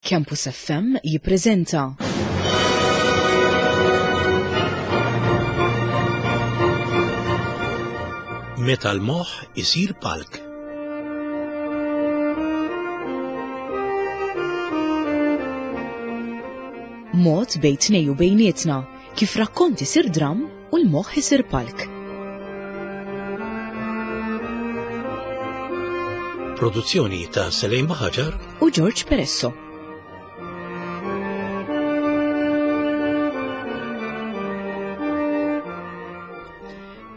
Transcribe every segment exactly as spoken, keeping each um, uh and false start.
Campus F M jippreżenta Meta l-moħħ isir palk. Mod bejn tnejn u bejnietna kif rakkont isir dram u l-moħħ isir palk. Produzzjoni ta' Selejn Baħaġar u George Peresso.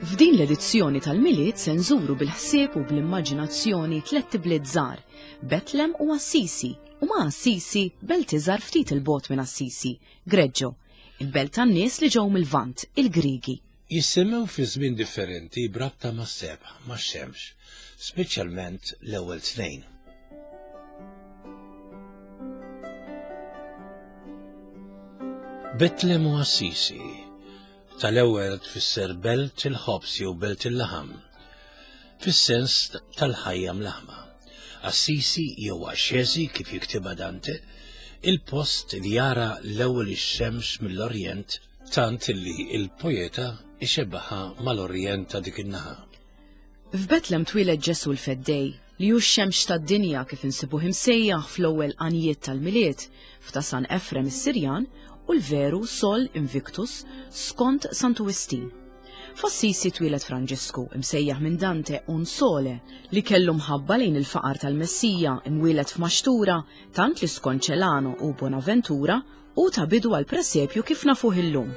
F'din l-edizzjoni tal-Milied se nżuru bil-ħsieb u bl-immaġinazzjoni tliet ibliet żgħar, Betlem u Assisi, u ma' Assisi belt iżgħar ftit il-bogħod minn Assisi, Greggio, il-belt tan-nies li ġew mill-Lvant, il-Grigi. Jissemmew fi żmien differenti brabta mas-sebħ, max-xemx, speċjalment l-ewwel tnejn. Betlem u Assisi tal-ewwel tfisser belt il-ħobż jew belt il-laħam, fis-sens tal-ħajja mlaħma. Assisi jew Axxesi kif jiktibha Dante, il-post li jara l-ewwel ix-xemx mill-Orjent tant li il-poeta ixebbaħha mal-Orjent ta' dik in-naħa. F'Betlem twieled Ġesu l-Feddej, li hu x-xemx tad-dinja kif insibuh imsejjaħ fl-ewwel għanjiet tal-Milied, f'ta' San Efrem is-Sirjan u l-veru Sol Invictus skont Santu Wistin. F'Assisi twieled Franġisku, imsejjaħ minn Dante un sole, li kellu mħabba lejn il-faqar tal-Messija imwieled f'maxtura, tant li skont Celano u Bonaventura u ta bidu għal presepju kif nafuh illum.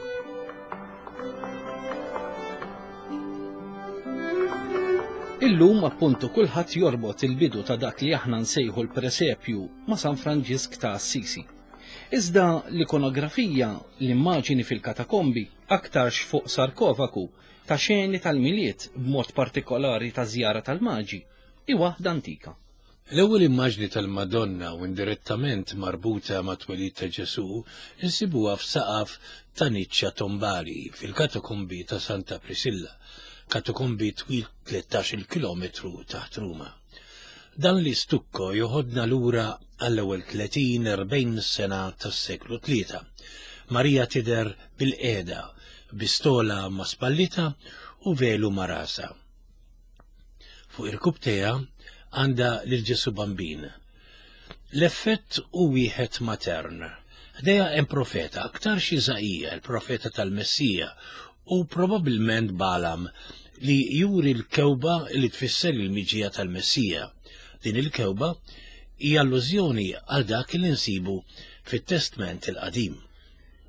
Illum appuntu kulħadd jorbot il-bidu ta' dak li aħna nsejħu l-presepju ma' San Franġisk ta' Assisi. Iżda l-ikonografija, l-immaġini fil-katakombi, aktarx fuq sarkofagu ta' xeni tal-Milied b'mod partikolari ta' żjara tal-Maġi, hi waħda antika. L-ewwel immaġni tal-Madonna u indirettament marbuta ma' twelid ta' Ġesu insibuha f'saqaf ta' niċċa tombali fil-katakombi ta' Santa Prisilla, katakombi twil tlettax-il kilometru taħt Ruma. Dan l-istukko joħodna lura għall-ewwel tletin erbgħin sena tas-seklu tlieta. Marija tidher bil-qiegħda, bistola ma' spallita u velu ma' rasa. Fuq irkubtejha għandha lil Ġesu Bambin. L-effett hu wieħed matern. Ħdejha hemm profeta, aktarx Iżaija, il-profeta tal-Messija, u probabbilment Balam li juri l-kewba li tfisser il-miġija tal-Messija. Din il-kewba hija allużjoni għal dak li nsibu fit-Testment il-Qadim.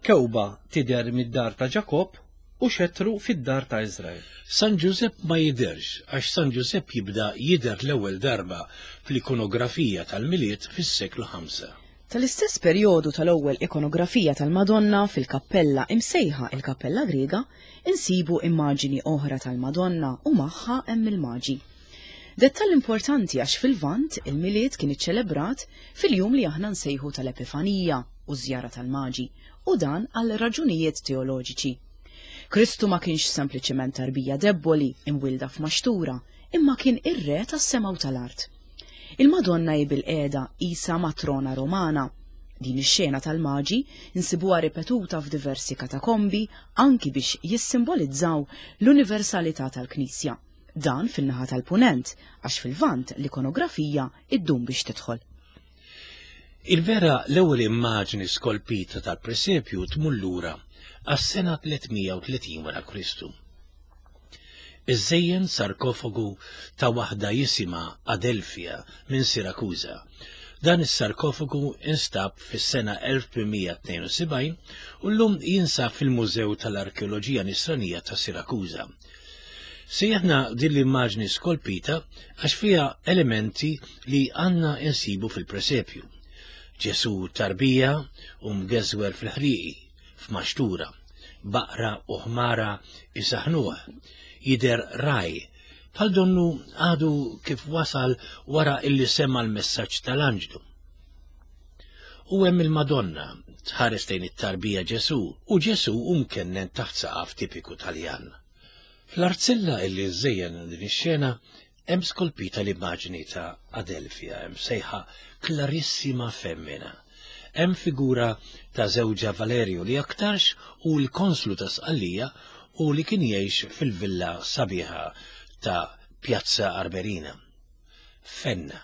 Kewba tidher mid-dar ta' Ġakob u xetru fid-dar ta' Iżrael. San Ġużepp ma jidherx għax San Ġużepp jibda jidher l-ewwel darba fl-ikonografija tal-Milied fis-seklu ħamsa. Tal-istess perjodu tal-ewwel ikonografija tal-Madonna fil-kappella imsejħa il-Kappella Griega insibu immaġini oħra tal-Madonna u magħha hemm il-Maġi. Dettall importanti għax fil-Lvant il-Milied kien iċċelebrat fil-jum li aħna nsejħu tal-Epifanija u żjara tal-Maġi, u dan għal raġunijiet teoloġiċi. Kristu ma kienx sempliċement tarbija debboli imwilda f'maxtura, imma kien ir-re tas-sema u tal-art. Il-Madonna hi bil-qiegħda isa matrona Romana. Din ix-xena tal-Maġi nsibuha ripetuta f'diversi katakombi anki biex jissimbolizzaw l-universalità tal-Knisja. Dan fin-naħa tal-Punent, għax fil-Lvant l-ikonografija iddum biex tidħol. Il-vera l-ewwel immaġni skolpita tal-presepju tmur lura għas-sena tliet mija u tletin wara Kristu. Iżejjen sarkofagu ta' waħda jisimha Adelfia minn Sirakuża. Dan is-sarkofagu instab fis-sena elf tmien mija tnejn u sebgħin u llum jinsab fil-Mużew tal-Arkeoloġija Nisranija ta' Sirakuża. Sejjaħna din l-immaġni skolpita għax fiha elementi li għandna insibu fil-presepju. Ġesu tarbija u mgeżwer fil-ħrieqi, f'maxtura, baqra u ħmara isaħnuh, jidher raj, bħal donnu għadu kif wasal wara illi sema l-messaġġ tal-anġlu. U hemm il-Madonna tħares lejn it-tarbija Ġesu u Ġesu hu mkennen taħt saqaf tipiku Taljan. Fl-arzella illi żejjen din ix-xena hemm skolpita l-immaġni ta' Adelfia, hemm sejħa Clarissima Femmina. hemm figura ta' żewġha Valerio li aktarx hu l-konslu ta' Sqallija u li kien jgħix fil-villa sabiħa ta' Piazza Armerina. Fenna.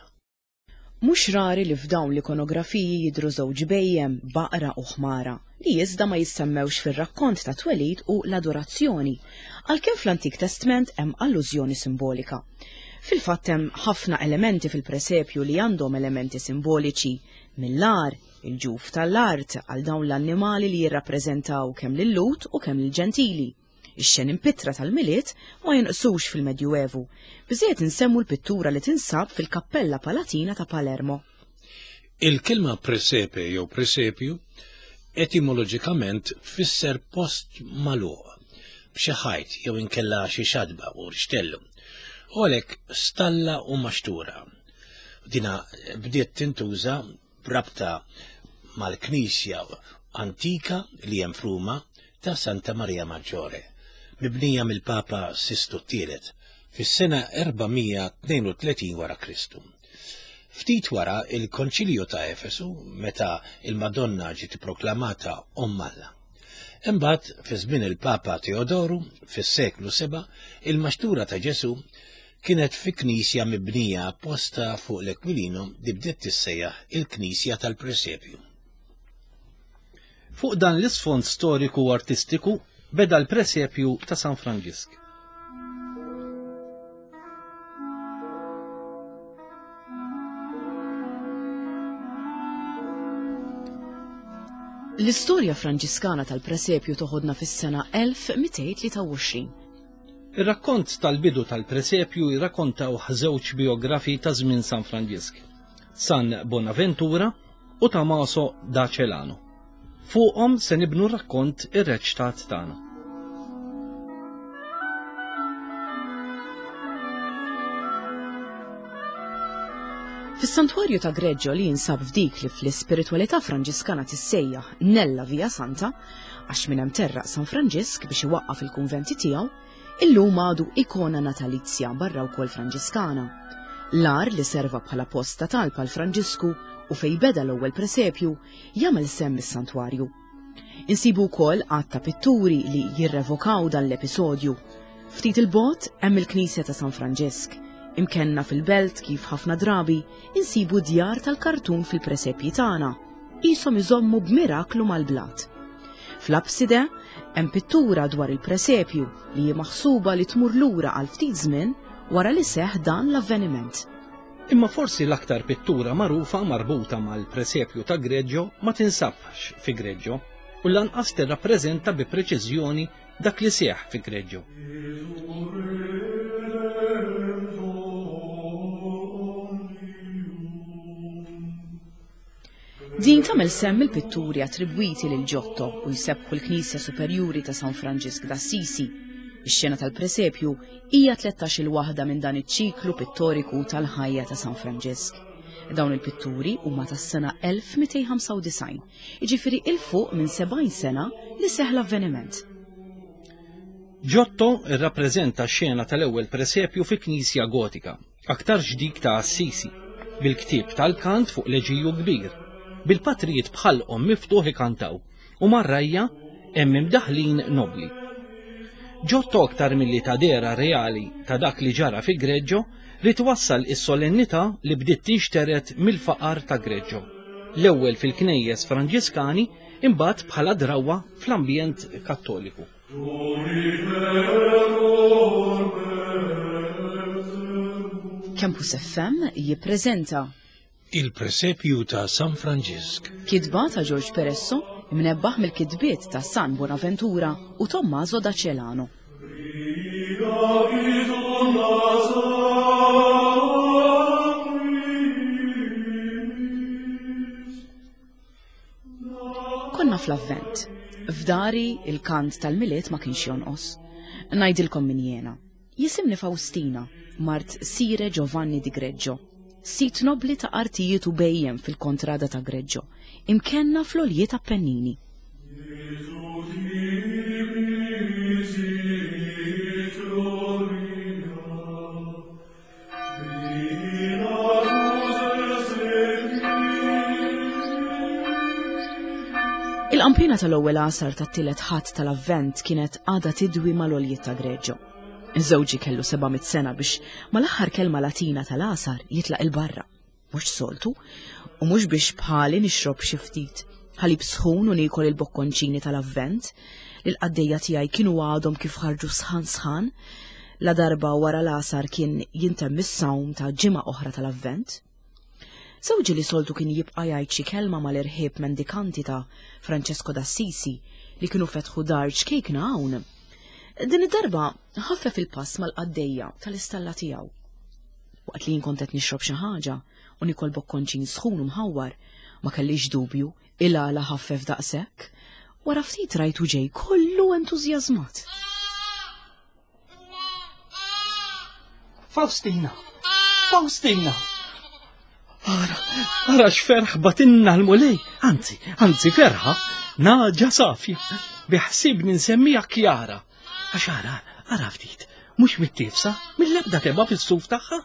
Mhux rari li f'dawn l-ikonografiji jidhru żewġ bhejjem, baqra u ħmara, li iżda ma jissemmewx fir-rakkont ta' twelid u l-adorazzjoni, għalkemm fl-Antik Testment hemm allużjoni simbolika. Fil-fatt hemm ħafna elementi fil-presepju li għandhom elementi simboliċi, mill-għar, il-ġuf tal-art għal dawn l-annimali li jirrappreżentaw kemm lil-Lhud u kemm lill-Ġentili. Ix-xeni mpittra tal-Milied ma jinqsux fil-Medjuevu, biżejjed insemmu l-pittura li tinsab fil-Kappella Palatina ta' Palermo. Il-kelma presepe jew presepju etimoloġikament tfisser post magħluq b'xi ħajt jew inkella xi xadba u rixtellu, u għalhekk stalla u maxtura. Dina bdiet tintuża b'rabta mal-knisja antika li hemm f'Ruma ta' Santa Maria Maggiore, mibnija mill-Papa Sistu t-Tielet fis-sena erba' mija tnejn u tletin wara Kristu. Ftit wara il-Konċilju ta' Efesu, meta il-Madonna ġiet proklamata Omm Alla. Imbagħad fi żmien il-Papa Teodoru fis-seklu seba' il-maxtura ta' Ġesu kienet fi knisja mibnija apposta fuq l-Ekwilino li bdiet tissejjaħ il-Knisja tal-Presepju. Fuq dan l-isfond storiku u artistiku beda l-presepju ta' San Franġisk. L-istorja Franġiskana tal-presepju toħodna fis-sena elf mitejn tlieta u għoxrin. Ir-rakkont tal-bidu tal-presepju jirrakkontaw żewġ biografi ta' żmien San Franġisk, San Bonaventura u Tommaso da Celano. Fuqhom se nibnu r-rakkont irreċtat tagħna. Fis-santwarju ta' Greggio li jinsab f'dik li fl-ispiritwalità Franġiskana tissejjaħ Nella Via Santa, għax minn hemm terraq San Franġisk biex iwaqqaf il-kunventi tiegħu, illum għadu ikona natalizja barra wkoll Franġiskana. L-għar li serva bħala post ta' talb għal Franġisku u fej beda l-ewwel presepju jagħmel semm is-santwarju. Insibu wkoll għadd ta' pitturi li jirrevokaw dan l-episodju. Ftit il-bogħod hemm il-Knisja ta' San Franġisk. Imkenna fil-belt kif ħafna drabi insibu djar tal-kartun fil-presepji tagħna, qishom iżommu b'miraklu mal-blat. Fl-abside hemm pittura dwar il-presepju li hi maħsuba li tmur lura għal ftit żmien wara li seħħ dan l-avveniment. Imma forsi l-aktar pittura magħrufa marbuta mal-presepju ta' Greggio ma tinsabx fi Greggio u lanqas tirrappreżenta bi preċiżjoni dak li seħħ fi Greggio. Din tagħmel semm il-pitturi attribwiti lil Giotto u jsebbħu l-Knisja Superjuri ta' San Franġisk d'Assisi. Ix-xena tal-presepju hija tlettax-il waħda minn dan iċ-ċiklu pittoriku tal-ħajja ta' San Franġisk. Dawn il-pitturi huma tas-sena elf mitejn ħamsa u disgħin, jiġifieri il fuq minn sebgħin sena li seħħ l-avveniment. Giotto rrappreżenta x-xena tal-ewwel presepju fi knisja gotika, aktar dik ta' Assisi, bil-ktieb tal-kant fuq leġiju kbir, bil-patrijiet bħalqhom miftuħ ikantaw u mar-rajja hemm imdaħlin nobli. Giotto aktar milli ta' dera reali ta' dak li ġara fi Greggio li twassal is-solennità li bdiet tinxteret mill-faqar ta' Greggio. L-ewwel fil-knejjes Franġiskani, imbagħad bħala drawwa fl-ambjent Kattoliku. Campus F M jippreżenta Il-Presepju ta' San Franġisk. Kitba ta' George Peresso, imnebbaħ mill-kitbiet ta' San Bonaventura u Tommaso da Celano. Konna fl-Avvent. F'dari il-kant tal-Milied ma kienx jonqos. Ngħidilkom min jiena. Jisimni Faustina, mart Sire Giovanni di Greggio. Sit nobli ta' artijiet u bejjem fil-kontrada ta' Greggio, imkenna fl-oljiet Appennini. Il-qampina tal-ewwel għasar tat-tielet Ħadd tal-Avvent kienet għadha tidwi mal-għoljiet ta' Greġġo. Żewġi kellu seba' mitt sena biex mal-aħħar kelma Latina tal-għasar jitlaq il-barra. Mhux soltu, u mhux biex bħali nixrob xi ftit ħalib sħun u niekol il-bokkonċini tal-Avvent li l-qaddejja tiegħi kienu għadhom kif ħarġu sħan sħan, la darba wara l-għasar kien jintemm is-sawm ta' ġimgħa oħra tal-Avvent. Żewġi li soltu kien jibqa' jgħid xi kelma mal-irħieb mendikanti ta' Francesco d'Assisi li kienu fetħu dar ċkejkna hawn. Din id-darba ħaffef il-pass mal-qaddejja tal-istalla tiegħu. Waqt li jien kont qed nixrob xi ħaġa u nikol bokkonċin sħun u mħawwar, ma kellix dubju il-għala ħaffef daqshekk. Wara ftit rajtu ġej kollu entużjażmat. Faustina! Faustina! Ara, ara x'ferħ batinna l-Mulej, anzi, anzi ferħa, naġa safja, biħsibni nsemmija Kjara. Għax ara, ara ftit, mhux mit-tifsa, mill-ebda teba fis-suf tagħha,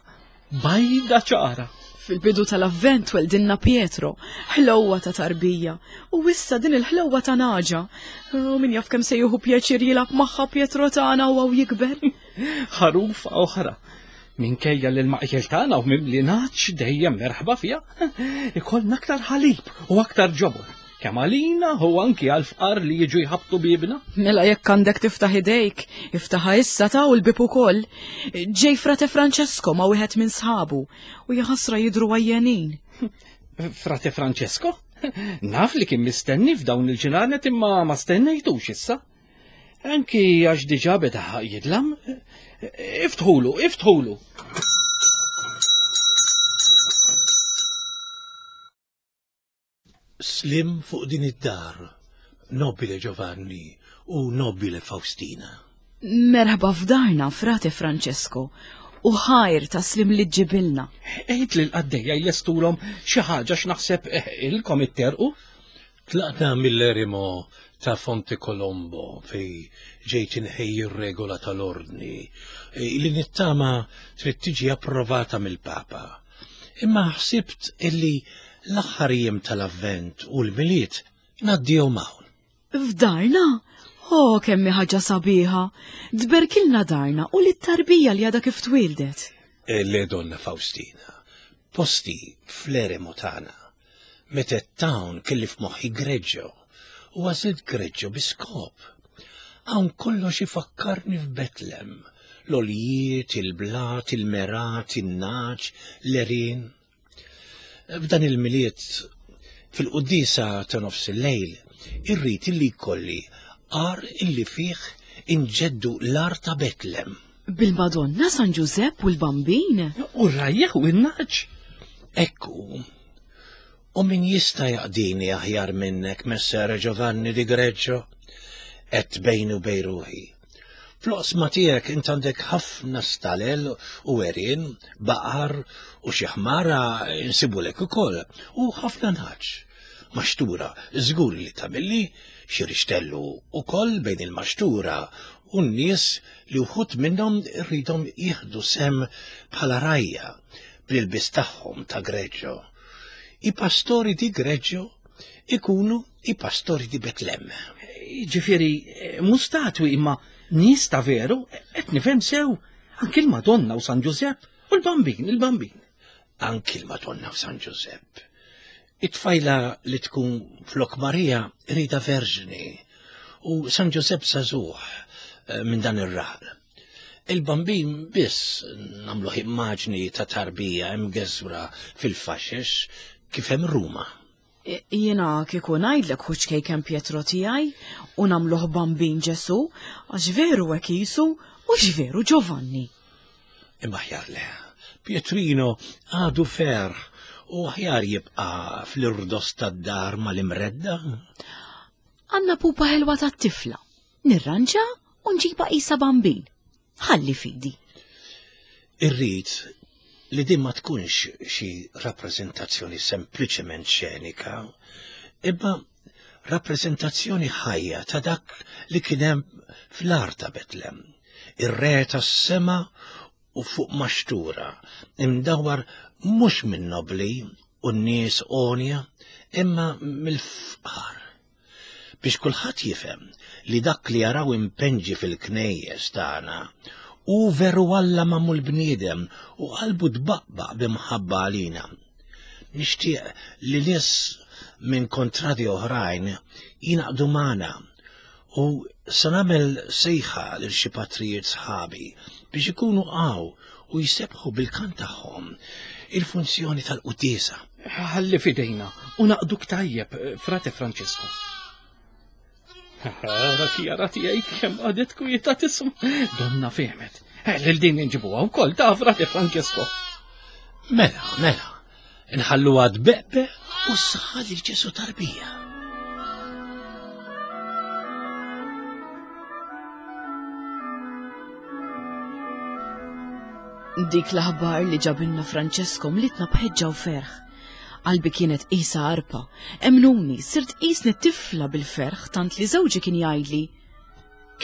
bajda ċara. Fil-bidu tal-Avvent weldinna Pietro, ħlewwa ta' tarbija, u issa din il-ħlewwa ta' naġa. U min jaf kemm se jieħu pjaċir jilgħab magħha Pietro tagħna u hawn jikber. Ħarufa oħra. Minkejja li l-maqjel tagħna u mimli naċ dejjem merħba fiha, ikollna aktar ħalib u aktar ġobon. Kemm għalina u anki għall-fqar li jiġu jħabtu bibna. Mela jekk għandek tiftaħ idejk, iftaħha issa ta' u l-bib ukoll. Ġej Frate Francesco ma' wieħed minn sħabu u jaħasra jidhru għajjenin. Frate Francesco? Naf li kien mistenni f'dawn il-ġranet imma ma stennejtux issa. Anki għax diġà beda jidlam. Iftħulu, iftħulu. Slim fuq din id-dar, nobile Giovanni u nobile Faustina. Merħba f'darna, Frate Francesco, u ħajr ta' slim li ġibilna. Għid li l-qaddejja jlestulhom xi ħaġa x'naħseb ilkom itterqu. Tlaqna mill-eremo ta' Fonte Colombo fej ġejt inħejji r-regola tal-ordni li nittama trid tiġi approvata mill-Papa. Imma ħsibt illi l-aħħar jiem tal-Avvent u l-Milied ngħaddihom hawn. F'darna? Oh, kemm hi ħaġa sabiħa! Tberkilna darna u lit-tarbija li għadha kif twieldet. Le donna Faustina, posti fl-eremo tagħna. Meta tawn kelli f'moħħi Greġġo u għażilt Greġġo bi skop. Hawn kollox ifakkarni f'Betlem, l-oljiet, il-blat, il-merat, in-naċ, l-erin. F'dan il-Milied, fil-quddiesa ta' nofs il-lejl, irrid illi jkolli għar illi fih inġeddu l-ar ta' Betlem. Bil-Madonna, San Ġużepp u l-Bambin. U r-rajjeħ u n-naċ. Ekku, u min jista' jaqdini aħjar minnek, Messere Giovanni di Greġġo? Et bejnu bejn ruħi. Fl-oqsma tiegħek int għandek ħafna stalel u għerien, baqar u xi ħmara insibulek ukoll, u ħafna nħaġ. Maxtura, żgur li tagħmilli xi rixtellu ukoll bejn il-maxtura u n-nies li wħud minnhom irridhom jieħdu sem bħala rajja bl-ilbies tagħhom ta' Greġġo. I pastori di Greġġo ikunu i pastori di Betlem. Ġifieri, mhux statwi imma nies ta' veru, qed nifhem sew, anki l-Madonna u San Ġużepp u l-Bambin, il-Bambin. Anki l-Madonna u San Ġużepp. It-tfajla li tkun flok Marija rida verġni u San Ġużepp żagħżugħ minn dan ir-raħal. Il-Bambin biss nagħmluh immaġni ta' tarbija imgeżwra fil-faxex kif hemm Ruma. Jiena kieku ngħidlek hu ċkejken Pietro tiegħi u nagħmluh Bambin Ġesu, għax veru hekk qisu u x'veru Giovanni. Imma aħjar le, Pietrino għadu ferħ u aħjar jibqa' fl-irdos tad-dar mal-imredda. Għandna pupa ħelwa tat-tifla, nirranġa u nġibha qisha Bambin. Ħalli fidi. Irrid li din ma tkunx xi rappreżentazzjoni sempliċement xenika, imma rappreżentazzjoni ħajja ta' dak li kien hemm fl-art ta' Betlem, ir-re tas-sema u fuq maxtura, imdawwar mhux minn nobli u n-nies għonja, imma mill-fqar. biex kulħadd jifhem li dak li jaraw impenġi fil-knejjes tagħna hu veru Alla magħmul bniedem u qalbu tbaqbaq b'imħabba għalina. Nixtieq li nies minn kontradi oħrajn jingħaqdu magħna u se nagħmel sejħa lil xi patrijiet sħabi biex ikunu hawn u jsebħu bil-kant tagħhom il-funzjoni tal-quddiesa. Ħalli fidejna u naqduk tajjeb, Frate Francesco. Ara Kjara tiegħi kemm għadet kwieta tisma'. Donna fehmet. Lil din inġibuha wkoll ta' Frate Francesco. Mela, mela, nħalluha tbeqbeq u ssaħħa lil Ġesu tarbija. Dik l-aħbar li ġabilna Francesco mlitna b'ħeġġa u ferħ. Qalbi kienet qisha arpa. Emnuni, sirt qisni tifla bil-ferħ tant li żewġi kien jgħidli.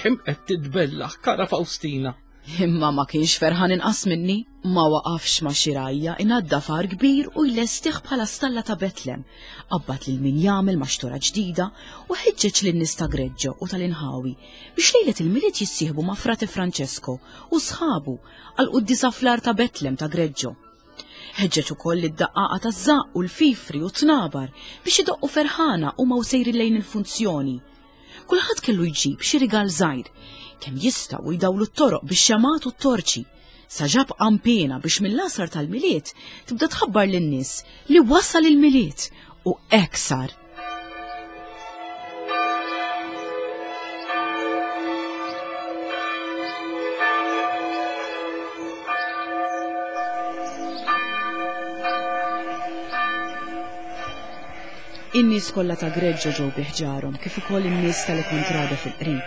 Kemm qed titbellaħ, kara Faustina. Imma ma kienx ferħan inqas minni. Ma waqafx ma' xi rajja inaddaf għar kbir u jlestih bħala stalla ta' Betlem. Qabbad lil min jagħmel maxtura ġdida u ħeġġeġ lin-nies ta' Greġġo u tal-inħawi biex lejlet il-Milied jissieħbu ma' Frate Francesco u sħabu għal quddiesa fl-għar ta' Betlem ta' Greġġo. Ħeġġeġ ukoll id-daqqaqa taż-żaqq u l-fifri u t-tnabar biex idoqqu ferħana u ma sejrin lejn il-funzjoni. Kulħadd kellu jġib xi rigal żgħir, kemm jistgħu jdawlu t-toroq bix-xemat u t-torċi. Sa ġab qanpiena biex mill-għasar tal-Milied tibda tħabbar lin-nies li wasal il-Milied u hekk sar. In-nies kollha ta' Greġġo ġew bi ħġarhom kif ukoll in-nies tal-Kontrada fil-qrib.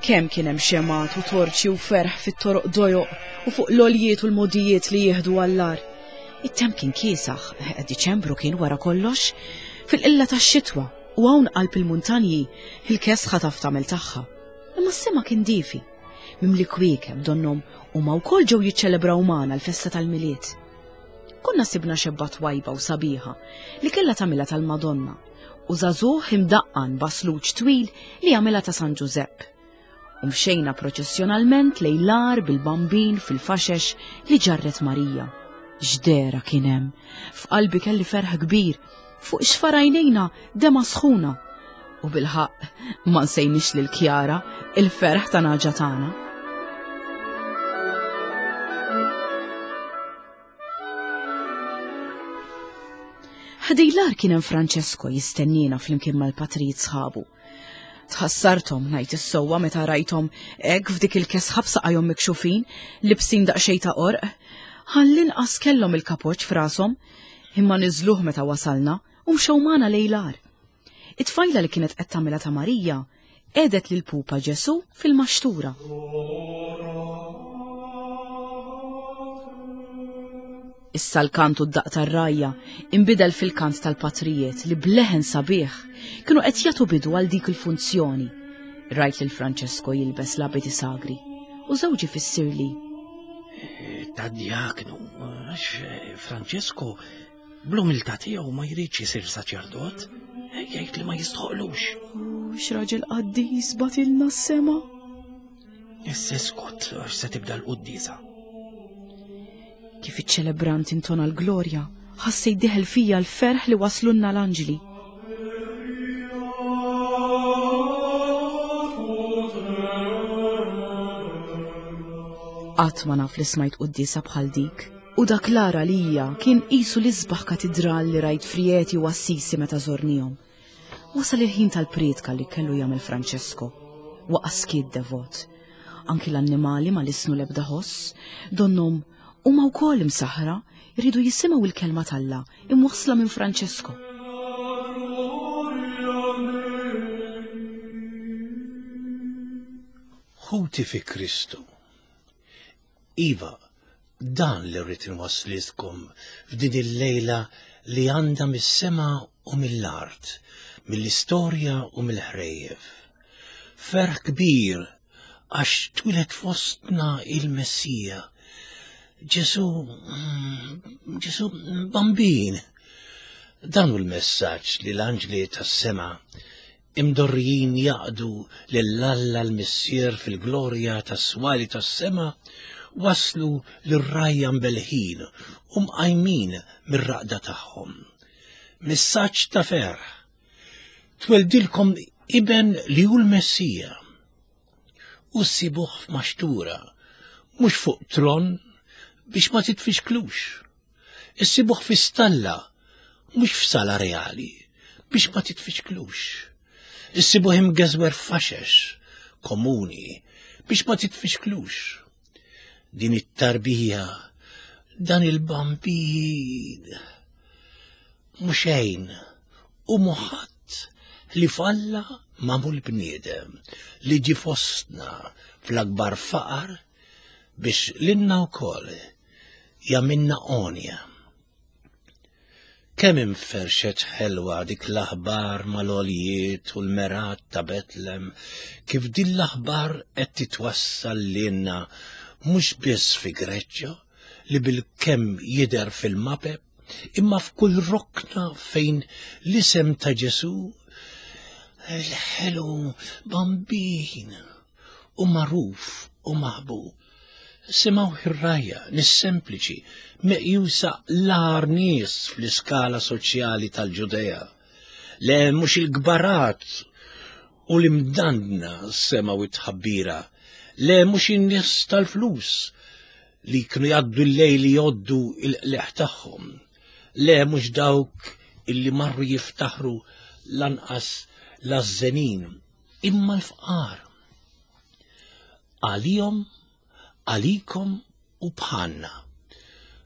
Kemm kien hemm xemat u torċi u ferħ fit-toroq dojoq u fuq l-oljiet u l-modijiet li jieħdu għall-għar. It-temp kien kiesaħ, Diċembru kien wara kollox, fil-qilla tax-xitwa u hawn qalb il-muntanji il-kesħa taf tagħmel tagħha. Imma s-sema kien difi, mimli kwiekeb donnhom huma wkoll ġew jiċċelebraw magħna l-festa tal-Milied. Konna sibna xebba twajba u sabiħa li kellha tagħmilha tal-Madonna u żagħżugħ imdaqqan basluċ twil li għamilha ta' San Ġużepp. U mxejna proċessjonalment lejn l-għar bil-bambin fil-faxex li ġarret Marija. X'dehra kien hemm! F'qalbi kelli ferħ kbir, fuq xfar għajnejna dema sħuna. U bil-ħaqq ma nsejniex lil Kjara il-ferħ ta' naġa tagħna. Ħdejn l-għar kien hemm Francesco jistennina flimkien mal-patrijiet sħabu. Tħassarthom ngħid is-sewwa meta rajthom hekk f'dik il-kesħa b'saqajhom mikxufin, libsin daqsxejn ta' qorq. Ħallinqas kellhom il-kapoċ f'rashom, imma niżluh meta wasalna u mxew magħna lejn l-għar. It-tfajla li kienet qed tagħmilha ta' Marija qiegħdet lil pupa Ġesu fil-maxtura. Issa l-kant u d-daq tar-rajja inbidel fil-kant tal-patrijiet li bleħen sabiħ kienu qed jagħtu bidu għal dik il-funzjoni. Rajt lil Francesco jilbes l-abiti sagri u żewġi fissirli. Ta' diaknu, għax Francesco bl-umiltà tiegħu ma jridx isir saċerdot, jgħid li ma jistħoqlux. X'raġel qaddis batilna s-sema. Issa skot għax se tibda l-quddiesa. Kif iċ-ċelebrant intona l-glorja, ħassejt diħel fija l-ferħ li waslunna l-anġli. Qatt ma naf li smajt quddiesa bħal dik, u dak l-ara lija kien qisu l-isbaħ katidral li rajt Frieti u Assisi meta żornihom. Wasal il-ħin tal-prietka li kellu jagħmel Francesco. Waqa' skiet devot. Anki l-annimali ma lisnu l-ebda ħoss, donnhom huma wkoll imsaħra jridu jisimgħu l-kelma t'Alla imwassla minn Francesco. Ħuti fi Kristu. Iva, dan li rrid inwasslilkom f'din il-lejla li għandha mis-sema u mill-art, mill-istorja u mill-ħrejjef. Ferħ kbir għax twieled fostna il-Messija, Ġesu, Ġesu bambin. Dan hu l-messaġġ li l-anġli tas-sema imdorrijin jaqdu lil Alla l-Missier fil-glorja tas-swali tas-sema, waslu lir-rgħajja mbelħin u mqajmin mir-raqda tagħhom. Messaġġ ta' ferħ. Tweldilkom iben li hu l-Messija. U ssibuh f'maxtura, mhux fuq tron biex ma titfixklux. Issibuh fi stalla, mhux f'sala reali, biex ma titfixklux. Issibuh imgeżwer f'faxex komuni biex ma titfixklux. Din it-tarbija, dan il-bambin, mhux xejn u muħadd li falla magħmul bniedem li ġie fostna fl-akbar faqar biex lilna wkoll jagħmilna għonja. Kemm inferxet ħelwa dik l-aħbar mal-għoljiet u l-merat ta' Betlem, kif din l-aħbar qed titwassal lilna mhux biss fi Greċċa li bil-kemm jidher fil-mapep, imma f'kull rokna fejn l-isem ta' Ġesù il-ħelu bambin u magħruf u maħbub. Simgħu ir-rgħajja, nies sempliċi, meqjusa l-agħar nies fl-iskala soċjali tal-Ġudea. Le mhux il-kbarat u l-imdandna semgħu it-tħabbira, le mhux in-nies tal-flus li kienu jgħaddu l-lejl jgħoddu il-qleħ tagħhom, le mhux dawk illi marru jiftaħru lanqas l-għażżenin, imma l-fqar. Għalihom, għalikom u bħalna.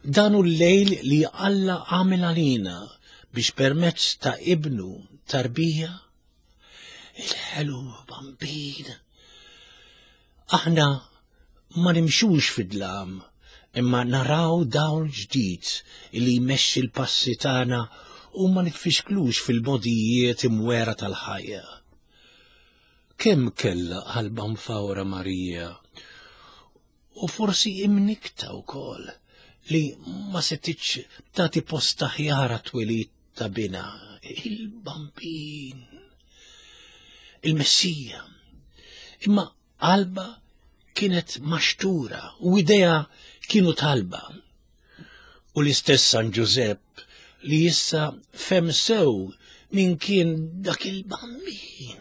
Dan hu l-lejl li Alla għamel għalina biex permezz ta' ibnu tarbija il-ħelu bambin. Aħna ma nimxux fid-dlam, imma naraw dawl ġdid li jmexxi l-passi tagħna u ma nitfixklux fil-modijiet imwera tal-ħajja. Kemm kellha qalba mfawra Marija, u forsi imnikta wkoll li ma setitx tagħti post aħjar għat-twelid ta' binha, il-bambin, il-Messija. Imma qalba kienet maxtura u idea kienu talba. U l-istess San Ġużepp li issa fem sew min kien dak il-bambin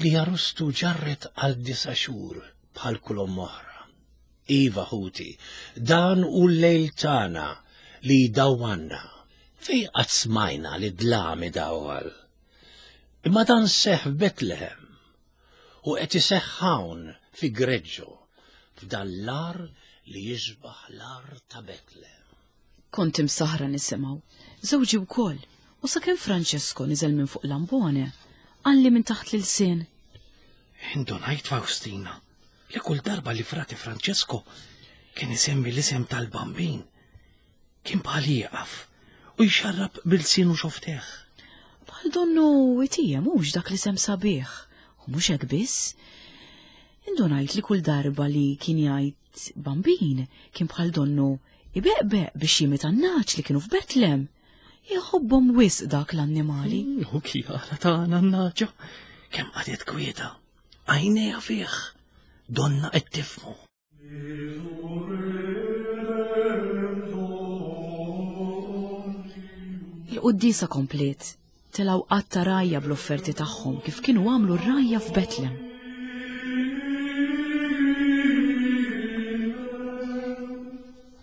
li jarustu ġarret għal disa xhur bħal kull omm oħra. Iva ħuti, dan hu l-lejl tagħna li jdawwanna. Fej qatt smajna li dlam idawwal. Imma dan seħħ f'Betlehem u qed iseħħ hawn fi Greġġo, f'dan l-għar li jixbaħ l-għar ta' Betlehem. Kont imsaħra nisimgħu, żewġi wkoll, u sakemm Francesco niżel minn fuq l-ambone, qalli minn taħt l-ilsien. Indunajt, Faustina, li kull darba li frati Francesco kien isemmi l-isem tal-bambin, kien bħal jieqaf u jxarrab bil-sinu xofteħ. Bħal donnu itija mhux dak l-isem sabiħ, u mhux hekk biss. Indunajt li kull darba li kien jgħid bambin kien bħal donnu ibeqbeq biex jimita n-naċ li kienu f'Betlem. Jħobbhom wisq dak l-annimali. U kjara tagħna n-naġa, kemm qagħdet kwieta, għajnejha fih, donna qed tifhmu. Il-quddiesa kompliet, telgħu qatt ta' rgħajja bl-offerti tagħhom kif kienu għamlu r-rgħajja f'Betlem.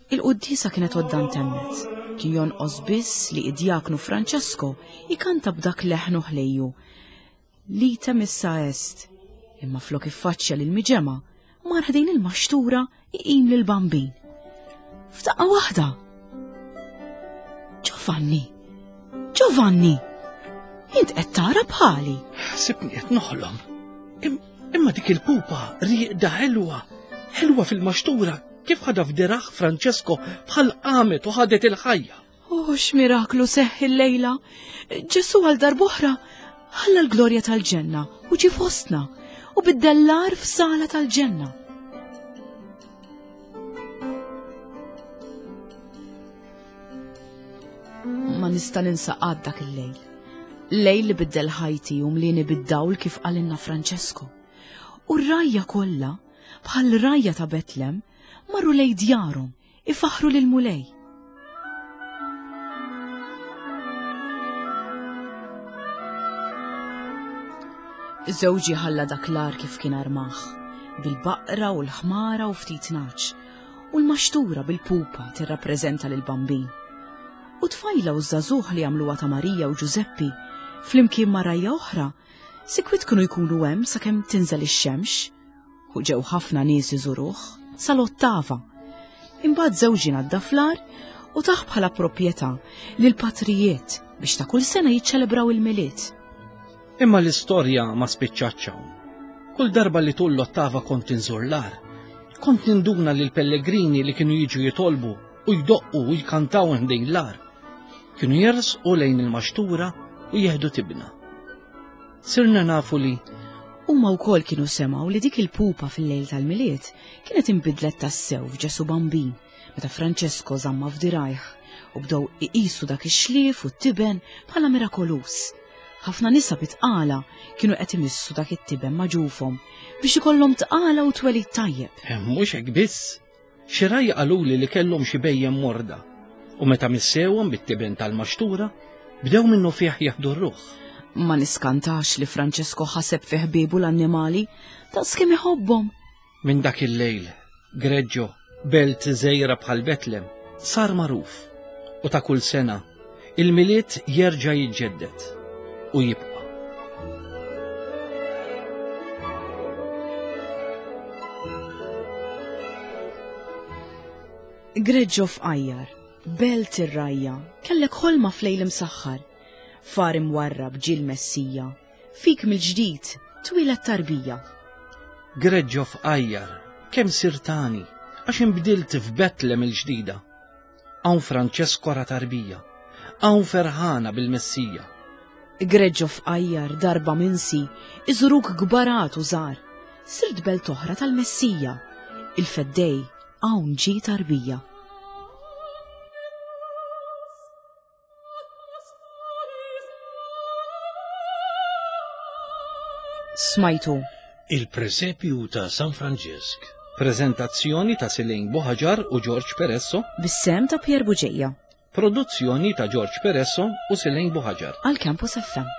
Il-quddiesa kienet għodda ntemmet. Kien jonqos biss li id-djaknu Francesco ikanta b'dak leħnu ħlejju. Lita missa est, imma flok iffaċċja lil miġema, mar ħdejn il-maxtura iqim lil bambin. F'daqqa waħda. Giovanni! Giovanni! Int qed tara bħali. Sibni qed noħlom. Im-, imma dik il-pupa rieqda ħelwa, ħelwa fil-maxtura, kif ħadha f'diraħ Francesco bħal qamet u ħadet il-ħajja. Oh, x'miraklu seħħ il-lejla! Ġesu għal darb'oħra ħalla l-glorja tal-ġenna u ġie fostna u biddellar f'sala tal-ġenna. Ma nista' ninsa qatt dak il-lejl. Lejl li biddel ħajti u mlieni bid-dawl kif qalilna Francesco. U r-rgħajja kollha, bħal rgħajja ta' Betlem, marru lejn djarhom ifaħħru lill-Mulej. Żewġi ħalla dak l-għar kif kien armah, bil-baqra u l-ħmara u ftit nagħaġ, u l-maxtura bil-pupa tirrappreżenta lill-Bambin. U tfajla u ż-żagħżugħ li għamluha ta' Marija u Ġużeppi, flimkien ma' rgħajja oħra, sikwit kienu jkunu hemm sakemm tinżel ix-xemx. U ġew ħafna nies iżuruh sal-ottava. Imbagħad żewġi naddaf l-għar u tah bħala proprjetà lill-patrijiet biex ta' kull sena jiċċelebraw il-Milied. Imma l-istorja ma spiċċatx hawn. Kull darba li tul l-ottava kont inżur l-għar, kont ninduna li l-pellegrini li kienu jiġu jitolbu u jdoqqu u jkantaw ħdejn l-għar, kienu jersqu lejn il-maxtura u jieħdu tibna. Sirna nafu li huma wkoll kienu semgħu li dik il-pupa fil-lejl tal-Milied kienet inbidlet tassew f'Ġesu Bambin meta Francesco żamma f'dirajh u bdew iqisu dak ix-xlief u t-tiben bħala mirakoluż. Ħafna nisa bitqala kienu qed imissu dak it-tiben ma' ġufhom biex ikollhom tqala u twelid tajjeb. Mhux hekk biss. Xi rgħajja qaluli li kellhom xi bejjem morda u meta missewhom bit-tiben tal-maxtura bdew minnu fih jaħdu r-ruħ. Ma niskantax li Francesco ħaseb fi ħbiebu l-annimali daqs kemm iħobbhom. Minn dak il-lejl, Greggio, belt żgħira bħal Betlem, sar magħruf u ta' kull sena il-Milied jerġa' jiġġedded u jibqa'. Greggio f'Qajjar, belt ir-rgħajja, kellek ħolma f'lejl imsaħħar, far imwarrab ġie l-Messija, fik mill-ġdid twieled tarbija. Greggio f'Qajjar, kemm sirtani, għax inbdilt f'Betlem il-ġdida. Hawn Francesco ra tarbija, hawn ferħana bil-Messija. Greggio f'Qajjar, darba minsi, iżuruk gbarat u żgħar, sirt belt oħra tal-Messija, il-Feddej hawn ġie tarbija. Smajtu Il-Presepju ta' San Franġisk. Prezentazzjoni ta' Silene Buhaġar u George Peresso. Bis-sem ta' Pier Buġeja. Produzzjoni ta' George Peresso u Silene Buhaġar. Għal Campus F M.